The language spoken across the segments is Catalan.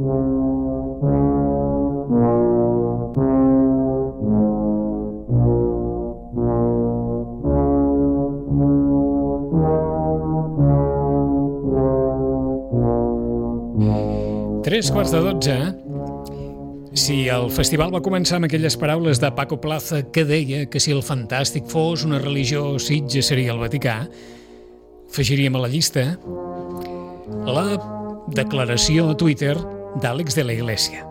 Tres quarts de 12. Si el festival va començar amb aquelles paraules de Paco Plaza que deia que si el fantàstic fos una religió, Sitges seria el Vaticà, afegiríem a la llista la declaració a Twitter d'Àlex de la Iglesia.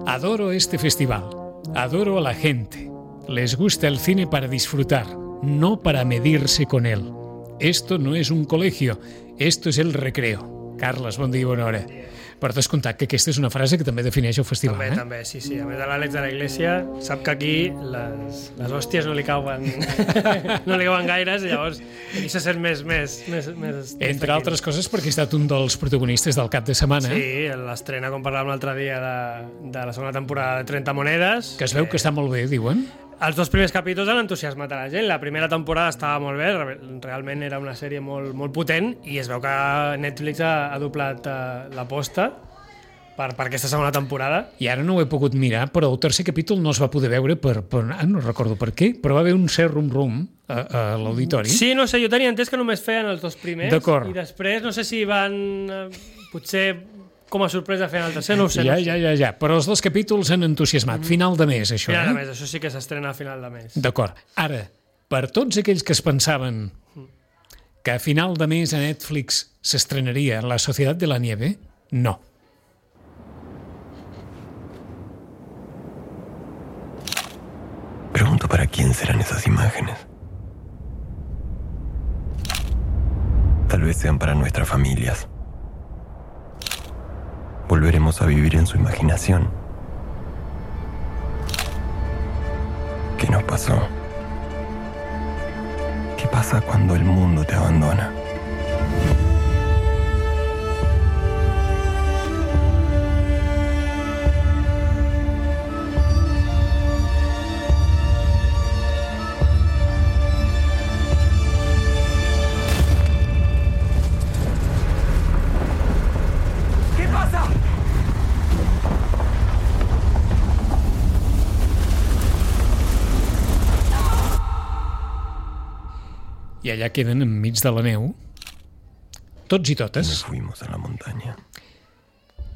Adoro este festival, adoro a la gente, les gusta el cine para disfrutar, no para medirse con él. Esto no es un colegio, esto es el recreo. Carles, bon dia i bona hora. Per descomptat que aquesta és una frase que també defineix el festival. També, sí. A més de l'Àlex de la Iglesia sap que aquí les hòsties no li cauen no li cauen gaires, i llavors aquí se sent més entre altres coses perquè ha estat un dels protagonistes del cap de setmana. Sí, l'estrena, com parlàvem l'altre dia, de la segona temporada de 30 monedes. Que es veu que està molt bé, diuen. Els dos primers capítols han entusiasmat a la gent. La primera temporada estava molt bé, realment era una sèrie molt potent, i es veu que Netflix ha doblat l'aposta per aquesta segona temporada. I ara no ho he pogut mirar, però el tercer capítol no es va poder veure no recordo per què, però va haver un cert rum a l'auditori. Sí, no sé, jo tenia entès que només feien els dos primers. D'acord. I després no sé si van potser com a sorpresa feien el tercer, no ho sé. Ja, però els dos capítols han entusiasmat. Final de mes, això. Final de mes, això sí que s'estrena a final de mes. D'acord. Ara, per tots aquells que es pensaven que a final de mes a Netflix s'estrenaria La Sociedad de la Nieve, no. Pregunto para quién serán esas imágenes. Tal vez sean para nuestras familias. Volveremos a vivir en su imaginación. ¿Qué nos pasó? ¿Qué pasa cuando el mundo te abandona? I allà queden enmig de la neu, tots i totes. Nos fuimos a la montaña.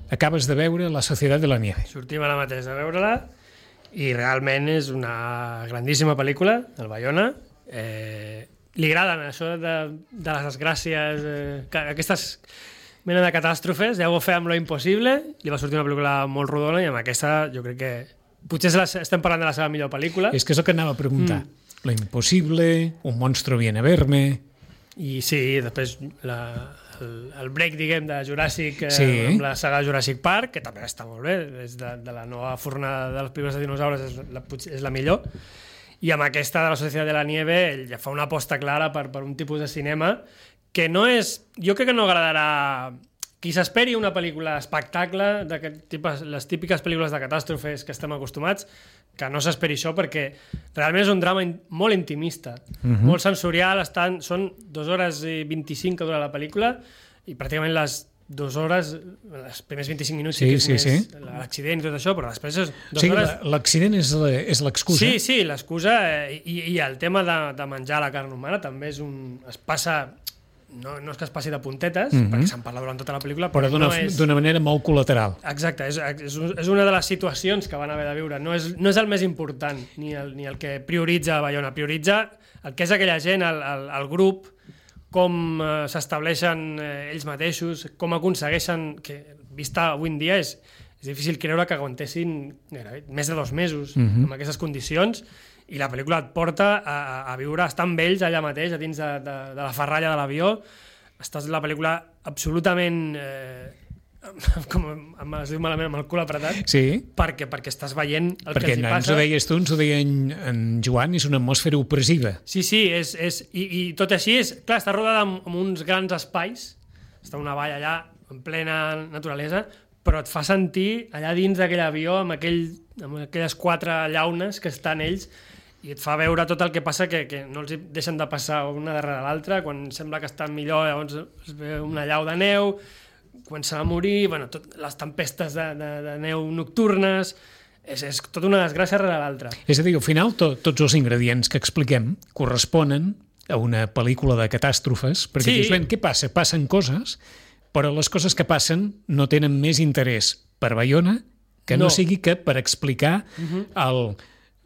Acabes de veure La Sociedad de la Nieve. Sortim ara mateix a veure-la, i realment és una grandíssima pel·lícula, el Bayona. Li agraden això de les desgràcies, aquestes mena de catàstrofes. Ja ho va fer amb Lo Impossible, li va sortir una pel·lícula molt rodona, i amb aquesta jo crec que potser estem parlant de la seva millor pel·lícula. És que és el que anava a preguntar. Lo Imposible, Un monstruo viene a verme... I sí, després el break, diguem, de Jurassic, sí, amb la saga Jurassic Park, que també està molt bé, és de la nova fornada de les pel·lícules de dinosaures, és la millor. I amb aquesta de La Sociedad de la Nieve ell ja fa una aposta clara per un tipus de cinema que no és... Jo crec que no agradarà... Qui s'esperi una pel·lícula espectacle, les típiques pel·lícules de catàstrofes que estem acostumats, que no s'esperi això, perquè realment és un drama molt intimista, molt sensorial. Són 2 hores i 25 que dura la pel·lícula, i pràcticament les 2 hores, els primers 25 minuts sí, l'accident i tot això, però després és 2 hores... L'accident és l'excusa. Sí, l'excusa, i el tema de menjar la carn humana també es passa... No és que es passi de puntetes, perquè se'n parla durant tota la pel·lícula, però d'una manera molt col·lateral. Exacte, és una de les situacions que van haver de viure. No és el més important, ni el que prioritza Bayona. Prioritza el que és aquella gent, el grup, com s'estableixen ells mateixos, com aconsegueixen, que vista avui en dia és difícil creure que aguantessin més de 2 mesos amb aquestes condicions. I la pel·lícula et porta a viure, estar amb ells allà mateix, a dins de la ferralla de l'avió. Estàs la pel·lícula absolutament, com es diu malament, amb el cul apretat, perquè estàs veient el que els hi passa. Perquè ens ho deies tu, ens ho deia en Joan, és una atmosfera opressiva. Sí, i tot així, clar, està rodada amb uns grans espais, està una vall allà en plena naturalesa, però et fa sentir allà dins d'aquell avió amb aquelles 4 llaunes que estan ells, i et fa veure tot el que passa, que no els deixen de passar una darrere l'altra. Quan sembla que estan millor, llavors es ve una llau de neu, comencen a morir, bueno, les tempestes de neu nocturnes, és tota una desgràcia rere l'altra. És a dir, al final tots els ingredients que expliquem corresponen a una pel·lícula de catàstrofes, perquè dius, ben, què passa? Passen coses, però les coses que passen no tenen més interès per Baiona que no sigui que per explicar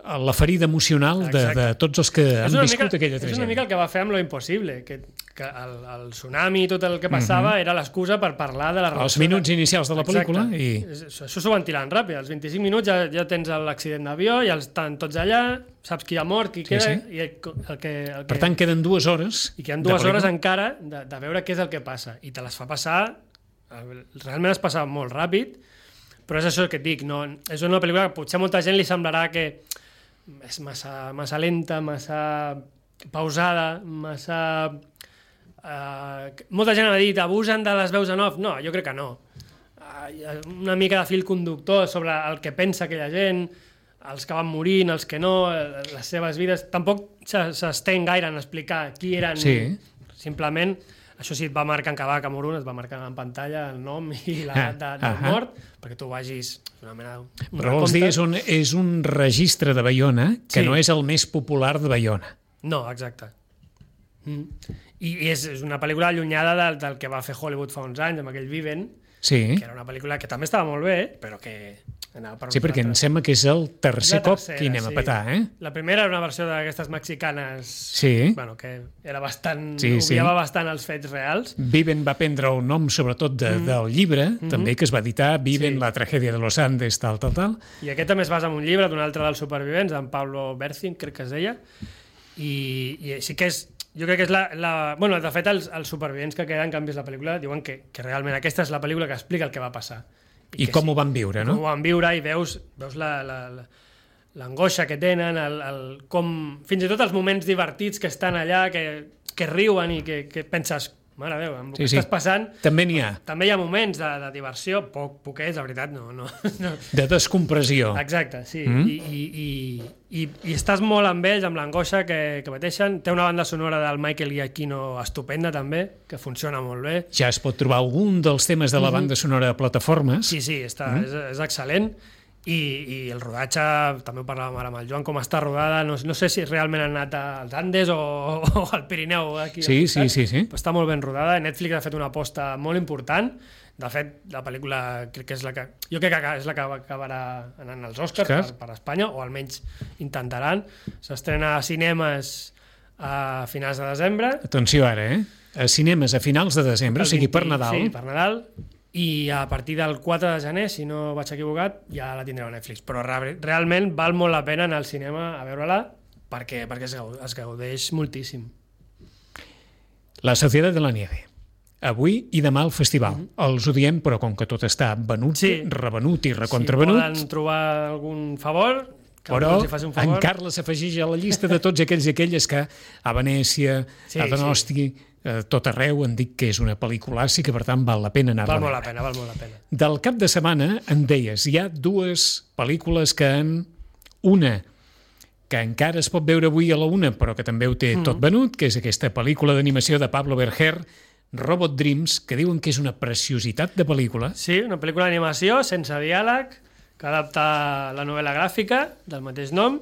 la ferida emocional de tots els que han viscut aquella tragèdia. És una mica el que va fer amb Lo Impossible, que el tsunami i tot el que passava era l'excusa per parlar de la relació... Els minuts inicials de la pel·lícula. Això s'ho van tirant ràpid. Als 25 minuts ja tens l'accident d'avió, ja estan tots allà, saps qui ha mort, qui queda... Per tant, queden 2 hores. I queden 2 hores encara de veure què és el que passa. I te les fa passar... Realment es passa molt ràpid, però és això que et dic. És una pel·lícula que potser a molta gent li semblarà que és massa lenta, massa pausada, massa... molta gent ha dit abusen de les veus en off. No, jo crec que no. Una mica de fil conductor sobre el que pensa aquella gent, els que van morint, els que no, les seves vides. Tampoc s'estén gaire en explicar qui eren. Simplement, això sí, et va marcar en cada Camerun, es va marcar en pantalla el nom i la data de mort, perquè tu vagis una mena de... Però vols dir, és un registre de Baiona que no és el més popular de Baiona. No, exacte. I és una pel·lícula allunyada del que va fer Hollywood fa uns anys, amb aquell Viven, que era una pel·lícula que també estava molt bé, però que... Sí, perquè em sembla que és el tercer cop que anem a petar, La primera era una versió d'aquestes mexicanes que era bastant... obviava bastant els fets reals. Viven va prendre el nom sobretot del llibre, també, que es va editar, Viven, la tragèdia de los Andes, tal. I aquest també es basa en un llibre d'un altre dels supervivents, d'en Pablo Bercin, crec que es deia, i sí que és... Jo crec que és bueno, de fet, els supervivents que queden, que han vist la pel·lícula, diuen que realment aquesta és la pel·lícula que explica el que va passar. I com ho van viure, no? Com ho van viure i veus l'angoixa que tenen, com fins i tot els moments divertits que estan allà, que riuen i que penses, mare Déu, amb el que estàs passant... També n'hi ha. També hi ha moments de diversió, poquets, la veritat, no. De descompressió. Exacte, sí. I estàs molt amb ells, amb l'angoixa que pateixen. Té una banda sonora del Michael Giacchino estupenda, també, que funciona molt bé. Ja es pot trobar algun dels temes de la banda sonora de plataformes. Sí, és excel·lent. I el rodatge, també ho parlàvem ara amb el Joan, com està rodada, no sé si realment han anat als Andes o al Pirineu. Aquí sí. Però està molt ben rodada. Netflix ha fet una aposta molt important. De fet, la pel·lícula crec que és la que... Jo crec que és la que acabarà anant als Oscars per Espanya, o almenys intentaran. S'estrena a cinemes a finals de desembre. Atenció ara, a cinemes a finals de desembre, o sigui per Nadal. Sí, per Nadal. I a partir del 4 de gener, si no vaig equivocat, ja la tindreu a Netflix. Però realment val molt la pena anar al cinema a veure-la perquè es gaudeix moltíssim. La Societat de la Nieve. Avui i demà al festival. Els ho diem, però com que tot està venut, revenut i recontravenut... Si poden trobar algun favor... Però en Carles s'afegeix a la llista de tots aquells i aquelles que a Venècia, a Donosti, tot arreu han dit que és una pel·lícula que per tant val la pena anar-la a veure. Val molt la pena. Del cap de setmana en deies, hi ha 2 pel·lícules que una que encara es pot veure avui a la 1, però que també ho té tot venut, que és aquesta pel·lícula d'animació de Pablo Berger, Robot Dreams, que diuen que és una preciositat de pel·lícula. Sí, una pel·lícula d'animació sense diàleg, que adapta la novel·la gràfica del mateix nom.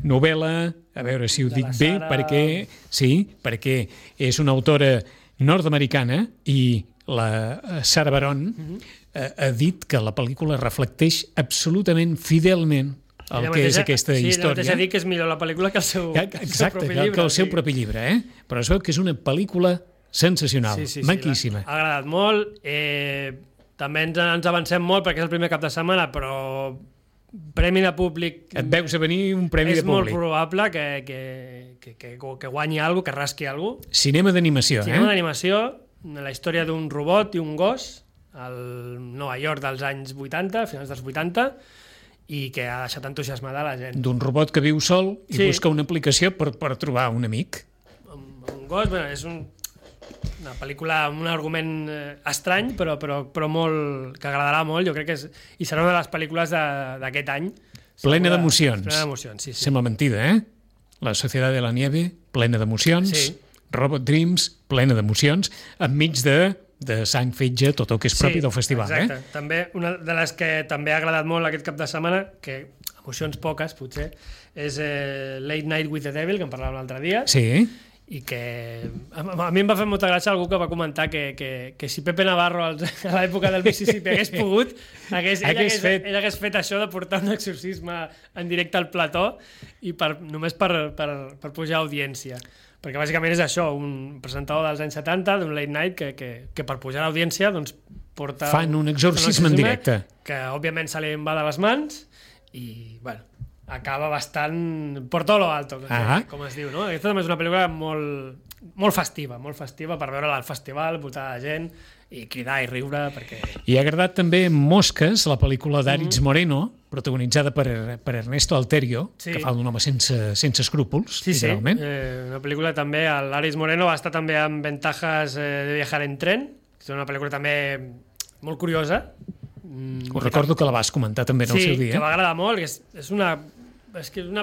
Novel·la, a veure si ho dic bé, perquè és una autora nord-americana i la Sarah Baron ha dit que la pel·lícula reflecteix absolutament fidelment el que és aquesta història. Sí, la mateixa dit que és millor la pel·lícula que el seu propi llibre. Que el seu propi llibre, però es veu que és una pel·lícula sensacional, maquíssima. Ha agradat molt, també ens avancem molt perquè és el primer cap de setmana, però premi de públic... Et veus a venir un premi de públic. És molt probable que guanyi alguna cosa, que rasqui alguna cosa. Cinema d'animació, Cinema d'animació, la història d'un robot i un gos, al Nova York dels anys 80, finals dels 80, i que ha deixat entusiasmada la gent. D'un robot que viu sol i busca una aplicació per trobar un amic. Un gos, és una pel·lícula amb un argument estrany, però molt, que agradarà molt, jo crec que i serà una de les pel·lícules d'aquest any. Plena d'emocions. Plena d'emocions, sí. Sembla mentida, La Societat de la Nieve, plena d'emocions. Sí. Robot Dreams, plena d'emocions, enmig de de sang, fetge, tot el que és propi del festival. Exacte. També, una de les que també ha agradat molt aquest cap de setmana, que emocions poques, potser, és Late Night with the Devil, que en parlàvem l'altre dia, Sí. i que a mi em va fer molta gràcia algú que va comentar que si Pepe Navarro a l'època del Mississippi hagués pogut, ell hagués fet això de portar un exorcisme en directe al plató i només per pujar audiència. Perquè bàsicament és això, un presentador dels anys 70 d'un late night que per pujar a l'audiència doncs, porta... Fan un exorcisme en directe. Que òbviament se li va de les mans i, bueno, acaba bastant por todo lo alto, com es diu, no? Aquesta també és una pel·lícula molt festiva per veure-la al festival, voltada de gent i cridar i riure, perquè... I ha agradat també Mosques, la pel·lícula d'Aritz Moreno, protagonitzada per Ernesto Alterio, que fa d'un home sense escrúpols, literalment. Una pel·lícula també, l'Aritz Moreno va estar també en Ventajas de viajar en tren, que és una pel·lícula també molt curiosa. Ho recordo que la vas comentar també en el seu dia. Sí, que va agradar molt, és una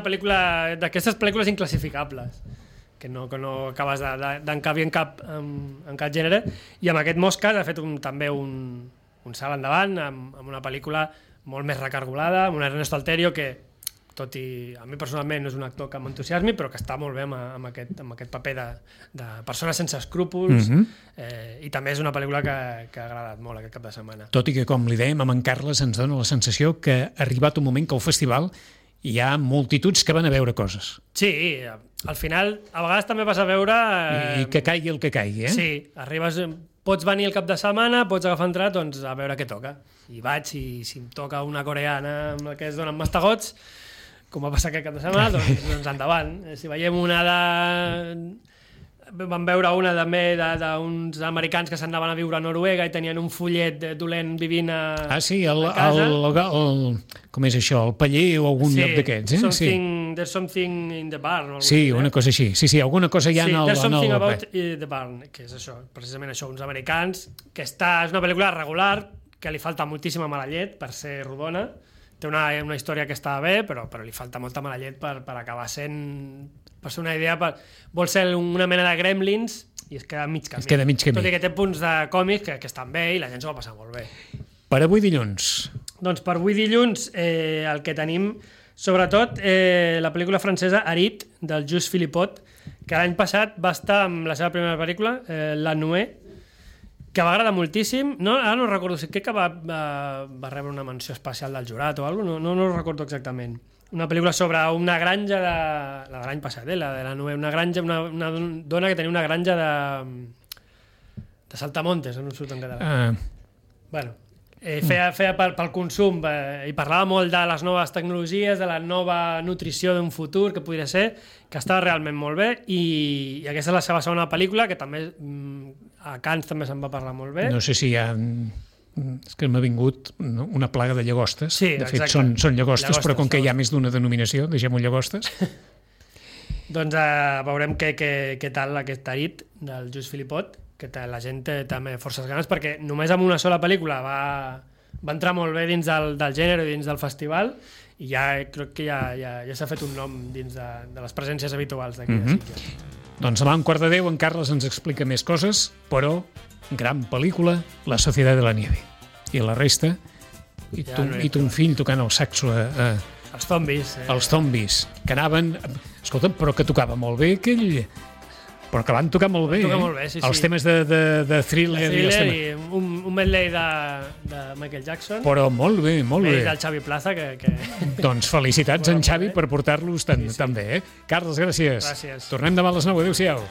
pel·lícula d'aquestes pel·lícules inclassificables, que no acabes d'encabir en cap gènere, i amb aquest Mosques ha fet també un salt endavant amb una pel·lícula molt més recargolada, amb un Ernesto Alterio que, tot i a mi personalment no és un actor que m'entusiasmi, però que està molt bé amb aquest paper de persona sense escrúpols, i també és una pel·lícula que ha agradat molt aquest cap de setmana. Tot i que, com li dèiem, amb en Carles ens dona la sensació que ha arribat un moment que al festival hi ha multituds que van a veure coses. Sí, al final a vegades també vas a veure... I que caigui el que caigui, Sí, pots venir el cap de setmana, pots agafar entrat, doncs a veure què toca. I vaig, i si em toca una coreana amb la que es donen mastegots, com va passar aquest cap de setmana, doncs endavant. Si veiem una vam veure una també d'uns americans que s'anaven a viure a Noruega i tenien un follet dolent vivint a casa. Com és això? El paller o algun lloc d'aquests, There's something in the barn. Sí, una cosa així. Sí, alguna cosa hi ha en el... There's something about the barn, que és això, precisament això, uns americans, que és una pel·lícula regular, que li falta moltíssima mala llet per ser rodona. Té una història que està bé, però li falta molta mala llet per acabar sent... Per ser una idea, vol ser una mena de Gremlins i es queda mig camí. Tot i que té punts de còmics que estan bé i la gent s'ho va passar molt bé. Per avui dilluns? Doncs per avui dilluns el que tenim, sobretot, la pel·lícula francesa Arit, del Just Philippot, que l'any passat va estar amb la seva primera pel·lícula, La Nuée, que va agradar moltíssim. Ara no recordo, crec que va rebre una menció especial del jurat o alguna cosa, no ho recordo exactament. Una pel·lícula sobre una granja la de l'any passat, la de la Nuée, una dona que tenia una granja de saltamontes, no em surt en català. Bueno, feia pel consum i parlava molt de les noves tecnologies, de la nova nutrició d'un futur que podria ser, que estava realment molt bé, i aquesta és la seva segona pel·lícula, que també a Cannes també se'n va parlar molt bé. No sé si hi ha... És que m'ha vingut una plaga de llagostes. Sí, de fet, són llagostes, però com que hi ha més d'una denominació, deixem-ho llagostes. Doncs veurem què tal aquest Arit del Just Philippot, que la gent té també forces ganes, perquè només amb una sola pel·lícula va entrar molt bé dins del gènere i dins del festival, i crec que ja s'ha fet un nom dins de les presències habituals d'aquí de Sitges. Doncs demà a 1:15 en Carles ens explica més coses, però gran pel·lícula, La Sociedad de la Nieve. I la resta, i ton fill tocant el saxo els zombis. Els zombis, que anaven... Escolta, però que tocava molt bé aquell... Però que van tocar molt bé, Els temes de thriller i un medley de Michael Jackson. Però molt bé, molt bé. I del Xavi Plaza, que... Doncs felicitats en Xavi per portar-los tan bé. Carles, gràcies. Gràcies. Tornem demà a les 9. Adéu-siau.